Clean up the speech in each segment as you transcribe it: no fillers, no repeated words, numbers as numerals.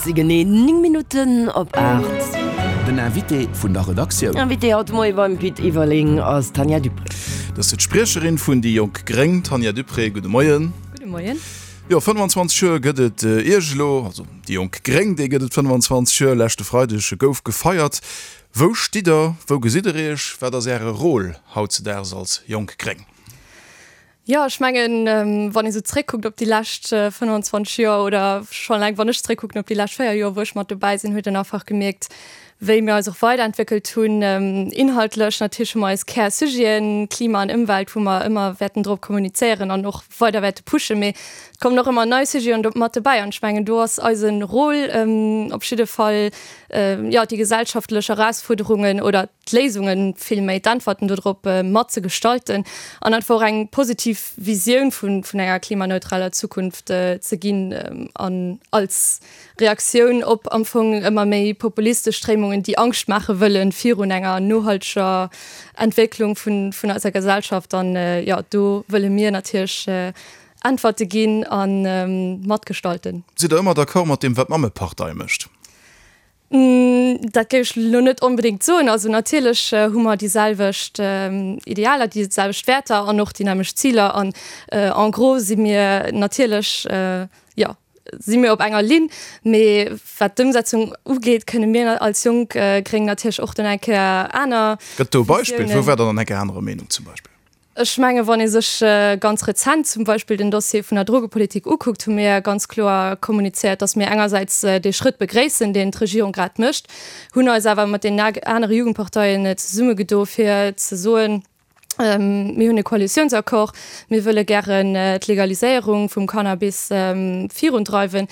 Et si genee 9 Minutten op 8. Den Invité vun der Redaktioun. Invité haut de Moie beim Pit Everling ass d'Tanja Dupré. Dat ass d'Spriecherin vun déi Jonk Gréng, Tanja Dupré. Gudde Moien. Gudde Moien. Jo, 25 Joer gëtt et Iech elo, also déi Jonk Gréng, déi gëtt et 25 Joer. Leschte Freideg gouf gefeiert. Wou stitt Der, wou gesitt Der Iech, wat ass Äre Rôle hautzedaags als Jonk Gréng? Jo, ech mengen, wann ee sou zréckkuckt op déi lescht 25 Joer oder schonn eleng wann ech zréckkucken op déi lescht 4 Joer, wou ech mat dobäi sinn, huet een einfach gemierkt, wéi mir eis och weiderentwéckelt hunn, inhaltlech. Natierlech hu mer eis Kärsujeten, Klima an Ëmwelt, wou mer ëmmer wäerten drop kommunizéieren an och weider wäerte pushen, mee et kommen och ëmmer nei Sujeten do mat dobäi an ech mengen, do ass eise Rôle op jidde Fall, jo, déi gesellschaftlech Erausfuerderungen oder d'Léisungen, vill méi d'Äntwerten dodrop mat ze gestalten an einfach och eng positiv Visioun vun enger klimaneutraler Zukunft ze ginn an als Reaktioun op am Fong ëmmer méi populistesch Stréimungen, déi Angscht maache wëllen virun enger nohalteger Entwécklung vun eiser Gesellschaft. An jo, do wëlle mir natierlech Äntwerte ginn a matgestalten. Sidd Der ëmmer d'accord mat deem, wat d'Mammepartei mécht? Dat géif ech elo net onbedéngt soen. Also natierlech hu mer déi selwecht Idealer, déi selwecht Wäerter an och déi nämmlecht Ziler. An en gros si mir natierlech, jo, si mir op enger Linn. Mee wat d'Ëmsetzung ugeet, kënne mir als jonk Gréng natierlech och dann eng Kéier aner Gëtt do e Beispill? Wou waart Der dann eng Kéier anerer Meenung zum Beispill? Ech menge wann ee sech ganz rezent zum Beispill den Dossier vun der Drogepolitik ukuckt, hu mir ganz kloer kommunizéiert, datt mir engersäits dee Schrëtt begréissen, deen d'Regierung grad mécht, hunn eis awer mat deenen anere Jugendparteien zesummegedo fir ze soen, mir hunn e Koalitiounsaccord, mir wëlle gären d'Legaliséierung vum Cannabis virundreiwen,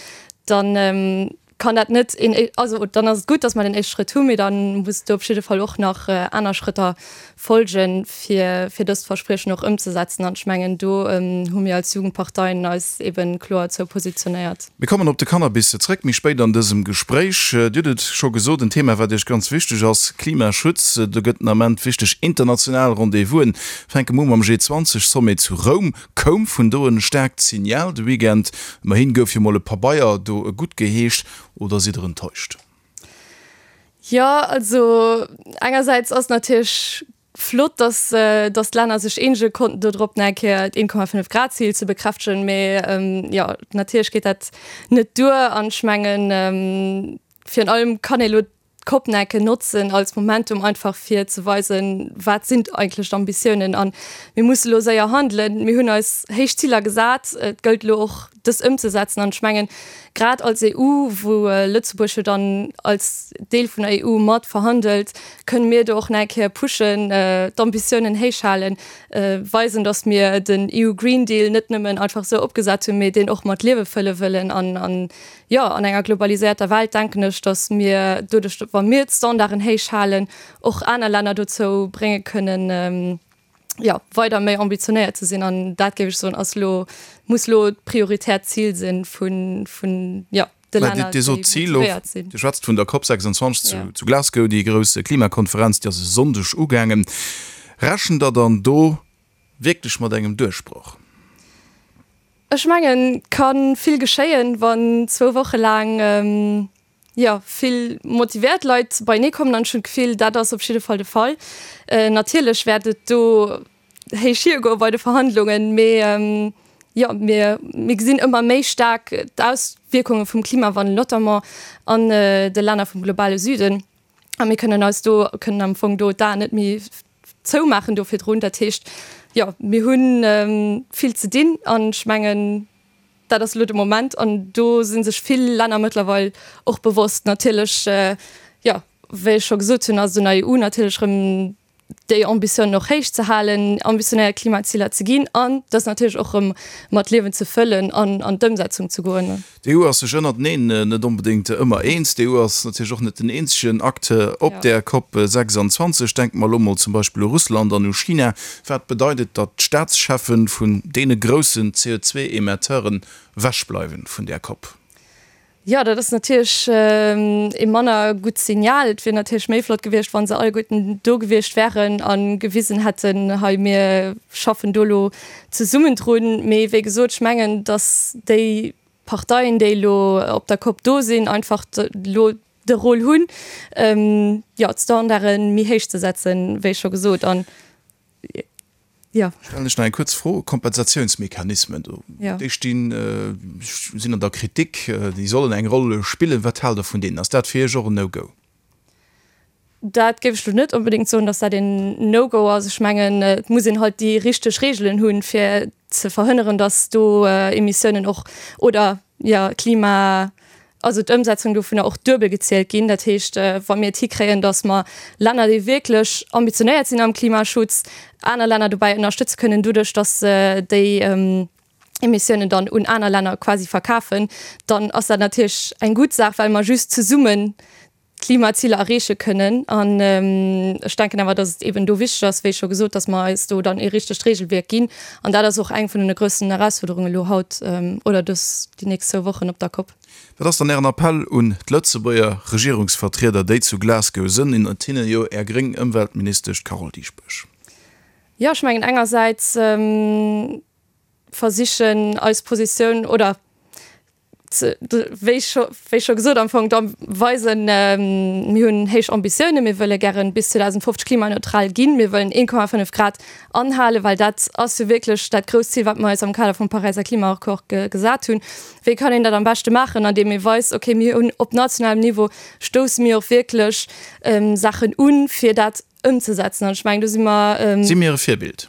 dann kann dat net een, also dann ass et gutt, datt mer den éischte Schrëtt hunn, mee da muss do op jidde Fall och nach aner Schrëtter folgen, fir, fir dëst Verspriechen och ëmzesetzen. An ech mengen, do hu mir als Jugendparteien eis eebe kloer zou positionéiert. Mir kommen op de Cannabis zréck méi spéit an dësem Gespréich. Dir hutt et scho gesot, en Thema, wat Iech ganz wichteg ass, Klimaschutz. Do gëtt den Ament wichteg international Rendez-vousen. Fänke mer u mam G20-Sommet zu Roum. Koum vun do en staarkt Signal de Weekend? Ëmmerhin gouf jo mol e Pabeier do gutt geheescht, oder sidd der enttäuscht? Jo, also engersäits ass natierlech flott, dass dass d'Länner sech eenege konnten do drop nach eng Kéier d'1,5 Grad Zil ze bekräftegen, mee jo natierlech geet dat net duer an ech mengen virun allem kann ee lo d'Cop-Necke notzen als Momentum einfach fir ze weisen, wat sinn eigentlech d'Ambitiounen an mir musse lo séier handelen. Mir hunn eis héich Ziler gesat, et gëllt elo och dës ëmzesetzen an ech mengen grad als EU, wou Lëtzebuerg jo dann als Deel vun der EU mat verhandelt, kënne mir do och nach eng Kéier pushen, d'Ambitiounen héich halen, weisen, datt mir den EU Green Deal net nëmmen einfach esou opgesat hunn, mee deen och mat Liewe fëlle wëllen an an Jo, an enger globaliséierter Welt denken ech, datt mir doduerch, wa mir d'Standarden héich halen, och aner Länner dozou brénge kënnen, jo, weider méi ambitionéiert ze sinn. An dat, géif ech soen, ass elo, muss elo d'prioritäert Zil si vun, vun, jo, de Länner, déi motivéiert sinn. Dir schwätzt vun der COP 26 zu Glasgow, déi grouss Klimakonferenz, déi ass e Sonndeg ugaangen. Rechent Der dann do wierklech mat engem Duerchbroch? Ech mengen, et ka vill geschéien, wann zwou Woche laang, jo, vill motivéiert Leit beienee kommen. An ech hunn d'Gefill, dat ass op jidde Fall de Fall. Natierlech wäert et do héich hiergoe bei de Verhandlungen, mee, jo, mir, mir gesinn ëmmer méi staark d'Auswierkunge vum Klimawandel, notamment an de Länner vum globale Süden. A mir kënnen eis do, kënnen am Fong do d'Aen net méi zoumaachen do virdrun. Dat heescht, jo, mir hu vill ze dinn an ech mengen, dat ass elo de Moment an do si sech vill Länner mëttlerweil och bewosst. Natierlech, jo, wéi ech scho gesot hunn, ass et un der EU natierlech erëm déi Ambitiounen och héich ze halen, ambitionéiert Klimaziler ze ginn an dës natierlech och erëm mat Liewen ze fëllen an an d'Ëmsetzung ze goen. D'EU ass sech ënnerteneen net onbedéngt ëmmer eens. D'EU ass natierlech och net den eenzegen Acteur op där Cop 26. Denke mer elo mol zum Beispill u Russland an u China. Wat bedeit et, datt d'Staatschefe vun deene groussen CO2-Emetteuren ewechbleiwen vun där Cop? Jo, dat ass natierlech ee manner gutt Signal. Et wier natierlech méi flott gewiescht, wa se alleguerten do gewiescht wären a gewisen hätten, hei mir schaffen do elo zesummen drun. Mee wéi gesot, ech mengen, datt déi. Parteien, déi elo op der Cop do sinn, einfach elo de Rôle hunn, jo, d'Standarde méi héich ze setzen, wéi scho gesot. An, jo. Stellen ech nach eng kuerz Fro, Kompensatiounsmechanismen, do, déi stinn, sinn an der Kritik, déi sollen eng Roll spillen. Wat haalt Der vun deenen? Ass dat fir Iech och en No-Go? Dat géif ech lo net onbedéngt soen, datt dat een No-Go ass. Ech mengen, et muss een halt déi richteg Reegelen hunn, fir ze verhënneren, datt do Emissiounen och oder jo Klima, also d'Ëmsetzung dovunner och duebel gezielt ginn. Dat heescht, wa mir et hikréien, datt mer Länner, déi wierklech ambitionéiert sinn am Klimaschutz, aner Länner dobäi ënnerstëtze kënnen doduerch, datt se déi Emissiounen dann un aner Länner quasi verkafen, dann ass dat natierlech eng gutt Saach, well mer just zesummen d'Klimaziler erreeche kënnen. An ech denken awer, datt et eeben do wichteg ass, wéi scho gesot, datt mer eis do dann ee richtegt Regelwierk ginn. An dat ass och eng vun den groussen Erausfuerderungen elo haut oder dës, déi nächst zwou Wochen op der Cop. Wat ass dann Ären Appell un d'Lëtzebuerger Regierungsvertrieder, déi zu Glasgow sënn, ënnert hinne jo Är gréng Ëmweltministesch, d'Carole Dieschbourg? Jo, ech mengen engersäits versichen eis Positioun oder wéi scho wéi scho gesot am Fong da weisen, mir hunn héich Ambitiounen, mir wëlle gären bis 2050 klimaneutral ginn, mir wëllen 1,5 Grad anhalen, well dat ass jo wierklech dat grousst Zil, wat mer eis am Kader vum Paräiser Klimaaccord gesat hunn. Wéi kann een dat am beschte maachen? Andeem ee weist, okay, mir hunn op nationalem Niveau stousse mir och wierklech Saachen un, fir dat ëmzesetzen. An ech mengen, do si mer. Si mir e Virbild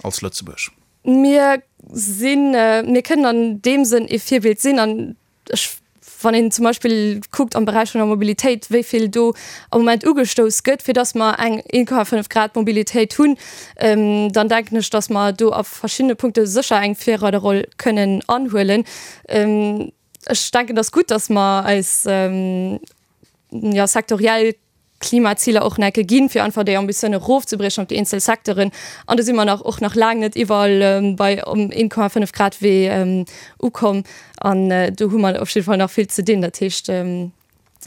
als Lëtzebuerg? Mir sinn, mir kënnen an deem Sënn ee Virbild sinn. An ech, wann een zum Beispill kuckt am Beräich vun der Mobilitéit, wéi vill do am Moment ugestouss gëtt, fir datt mer eng 1,5 Grad Mobilitéit hunn, dann denken ech, datt mer do a verschiddene Punkte sécher eng Virreiderroll kënnen anhuelen. Ech denken, et ass gutt, datt mer eis, jo, sektoriell Klimaziler och necke ginn, fir einfach déi Ambitioun erofzebriechen op déi eenzel Secteuren. An do si mer nach och nach laang net iwwerall bei um 1,5 Grad Wee ukomm. An do hu mer op jidde Fall nach vill ze dinn. Dat heescht,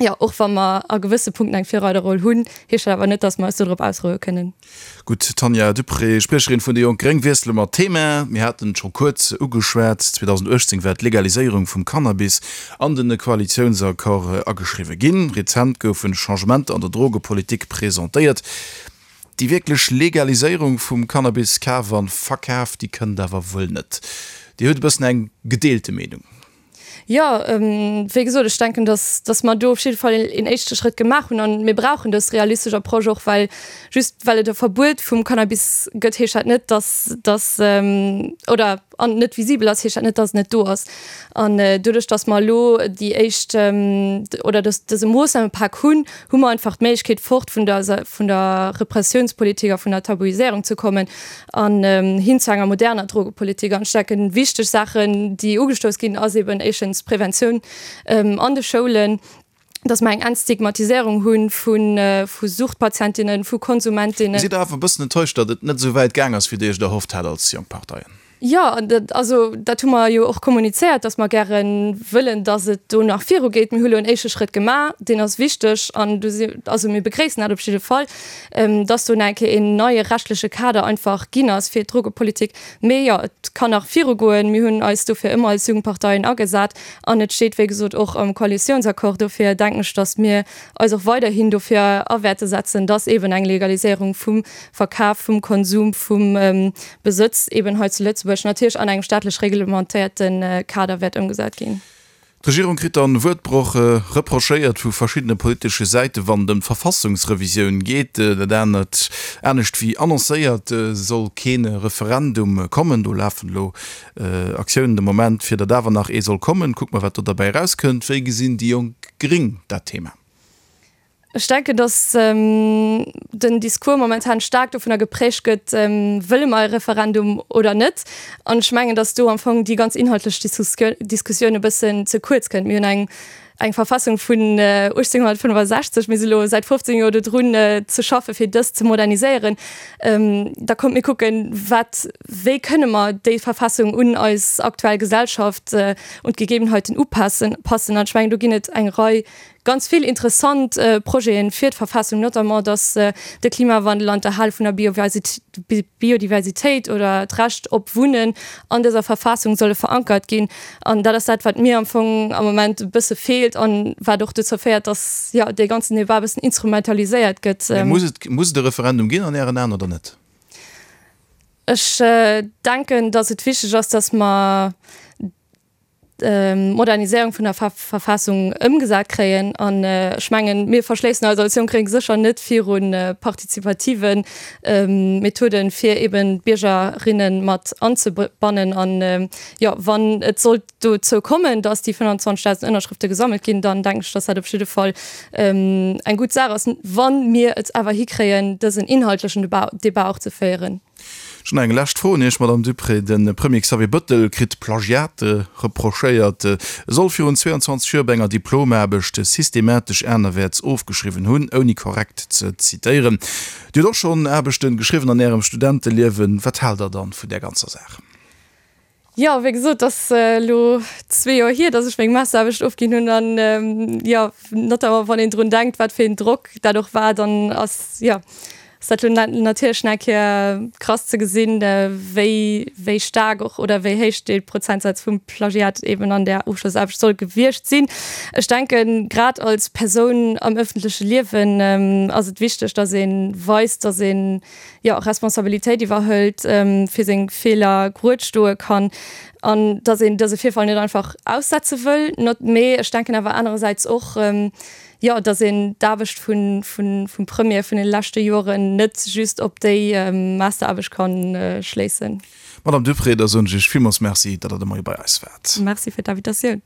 jo, och wa mer a gewësse Punkten eng Virreiderroll hunn, heescht dat awer net, datt mer eis dodrop ausroue kënnen. Gutt, Tanja Duprez, Spriecherin vun déi Jonk Gréng. Wiessele mer d'Thema. Mir haten et scho kuerz ugeschwat, 2018 war d'Legaliséierung vum Cannabis an den Koalitiounsaccord ageschriwwe ginn. Rezent goufe Changementer an der Drogepolitik presentéiert. Déi wierklech Legaliséierung vum Cannabiskaf an verkaf, déi kënnt awer wuel net. Dir hutt e bëssen eng gedeelte Meenung. Jo, wéi gesot, ech denken, dass, dass mer do op jidde Fall een éischte Schrëtt gemaach hunn. An mir brauchen dës realistesch Approche och, well just well et e Verbuet vum Cannabis gëtt, heescht dat net, dass, dass, oder an net visibel ass, heescht dat net, dass et net do ass. An doduerch, dass mer elo déi éischt oder dës, dëse Moossnamepak hunn, hu mer einfach d'Méiglechkeet, fort vun der, vun der Repressiounspolitik a vun der Tabuiséierung ze kommen an hin zu enger moderner Drogepolitik. An ech denken, wichteg Saachen, déi ugestouss ginn, ass eben éischtens d'Preventioun an de Schoulen, dass mer eng Entstigmatiséierung hu vu Suchtpatientinnen, vu Konsumentinnen. Sidd Der awer e bëssen enttäuscht, datt et net esou wäit gaang ass, wéi Dir Iech et erhofft hat als jonk Parteien? Jo, also dat hu mer jo och kommunizéiert, dass mer gäre wëllen, dass et do nach virugeet. Mir hu lo en éischte Schrëtt gemaach, deen ass wichteg an do si, also mir begréissen dat op jidde Fall, dass do nach eng Kéier een neie rechtliche Kader einfach ginn ass fir d'Drogepolitik. Mee jo, et kann nach virugoen. Mir hunn eis dofir ëmmer als Jugendparteien agesat an et steet, wéi gesot, och am Koalitiounsaccord. Dofir denken ech, dass mir eis och weiderhin dofir a wäerte setzen, dass eeben eng Legaliséierung vum Verkaf, vum Konsum, vum Besëtz eben hei zu Lëtzebuerg natierlech an engem staatlech reglementéierte Kader wäert ëmgesat ginn. D'Regierung kritt dann Wuertbroch reprochéiert vu verschiddene politesche Säite wann et ëm d'Verfassungsrevisioun geet. Dat anert, anescht wéi annoncéiert, soll kee Referendum kommen. Do lafen elo Aktiounen de Moment, fir datt awer nach ee soll kommen. Kucke mer wat do derbäi erauskënnt. Wéi gesinn déi jonk Gréng dat Thema? Ech denken, datt den Discours momentan staark dovunner geprägt gëtt, wëlle mer e Referendum oder net? An ech mengen, datt do am Fong déi ganz inhaltlech Diskussioun e bëssen ze kuerz kënnt. Mir hunn eng eng Verfassung vun 1865, mir si lo säit 15 Joer dodrun ze schaffe fir dës ze moderniséieren. Da kommt mir kucken, wat, wéi kënne mer déi Verfassung un eis aktuell Gesellschaft, un d'Gegebenheiten upassen. An ech mengen, do ginn et eng Rei. ganz vill interessant Projeten fir d'Verfassung, notamment dass de Klimawandel an d'Erhale vun der Biodiversitéit oder d'Recht op Wunnen an dëser Verfassung solle verankert ginn. An dat ass dat, wat mir am Fong am Moment e bësse feelt an wat och dozou féiert, dass, jo, dee ganzen Debat e bëssen instrumentaliséiert gëtt. Mee muss et, muss et e Referendum ginn an Ären Aen oder net? Ech denken, dass et wichteg ass, dass mer d'Moderniséierung vun der Verfassung ëmgesat kréien. An ech mengen, mir verschléissen eis als Jonk Gréng sécher net viru partizipative Methoden, fir eben d'Biergerinne mat anzebannen. An jo, wann et sollt dozou kommen, dass déi 25.000 Ënnerschrëfte gesammelt ginn, dann denken ech, dass dat op jidde Fall eng gutt Saach ass, wa mir et awer hikréien, dësen inhaltlechen Debat och ze féieren. Ech hunn nach eng lescht Fro un Iech, Madamm Duprez. De Premier Xavier Bëttel kritt Plagiat reprochéiert. E soll virun 22 Joer bei enger Diplomaarbecht systematesch anerwäerts ofgeschriwwen hunn, ouni korrekt ze zitéieren. Dir hutt och schonn Aarbechten geschriwwen an Ärem Studenteliewen. Wat haalt Der dann vun där ganzer Saach? Jo, wéi gesot, et ass elo zwee Joer hier, datt ech meng Masteraarbecht ofginn hunn an jo, notamment wann een drun denkt, wat fir een Drock dat och war, dann ass jo, ass dat elo natierlech nach eng Kéier krass ze gesinn, wéi wéi staark och oder wéi héich dee Prozentsaz vum Plagiat eben an där Ofschlossaarbecht soll gewiescht sinn. Ech denken, grad als Persoun am ëffentleche Liewen ass et wichteg, datt ee weist, datt een jo, Responsabilitéit iwwerhëlt, fir seng Feeler grued stoe kann an dass een dëse Virfall net einfach aussetze wëll. Not, mee ech denken awer anerersäits och, jo, dass een d'Aarbecht vun, vun, vum Premier vun de leschte Joren net just op déi Masteraarbecht kann schléissen. Madame Duprez, da soen ech Iech villmools Merci, datt Der de Moie bei eis waart. Merci fir d'Invitatioun.